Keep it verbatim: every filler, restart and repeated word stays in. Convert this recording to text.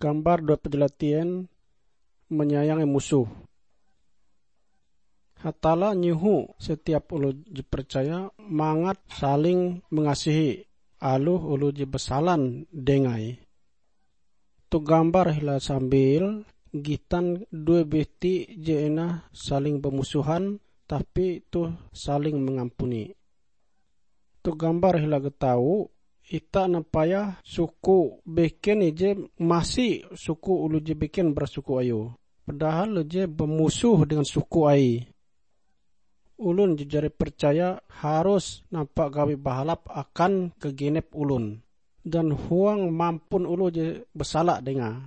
Gambar dua puluh delapan, menyayangi musuh. Hatalla nyoho setiap oloh je percaya mangat saling mengasihi aloh oloh je basalan dengae. Tu gambar hila sambil gitan due biti je ena saling bamusuhan, tapi toh saling mangampuni. Tu gambar hila getau, ita nampayah suku beken ije masi suku oloh je beken bara suku ayue, padahal je bamusoh dengan suku aie. Olon je jari percaya harus nampa gawi bahalap akan gagenep olon, dan huang mampun oloh je basala dengae.